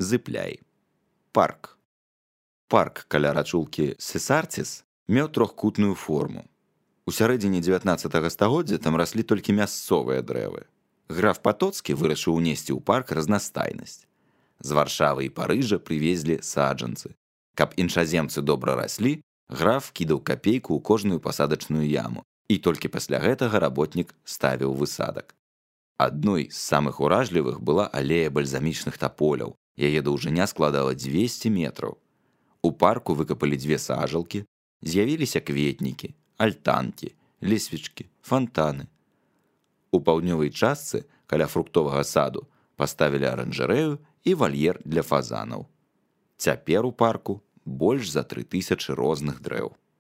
Зыпляй. Парк. Парк каля рачулкі Сесарціс меў трохкутную форму. У сярэдзіне 19 стагоддзя там раслі толькі мясцовыя дрэвы. Граф Патоцкі вырашыў унесці ў парк разнастайнасць. З Варшавы і Парыжа прывезлі саджанцы. Каб іншаземцы добра раслі, граф кідаў капейку ў кожную пасадачную яму, і толькі пасля гэтага работнік ставіў высадак. Адной з самых уражлівых была алея бальзамічных таполяў. Яе даўжыня складала 200 метраў. У парку выкапалі 2 сажалкі, з'явіліся кветнікі, альтанкі, лесвічкі, фантаны. У паўднёвай частцы, каля фруктовага саду, паставілі аранжарэю і вальер для фазанаў. Цяпер у парку больш за 3000 розных дрэў.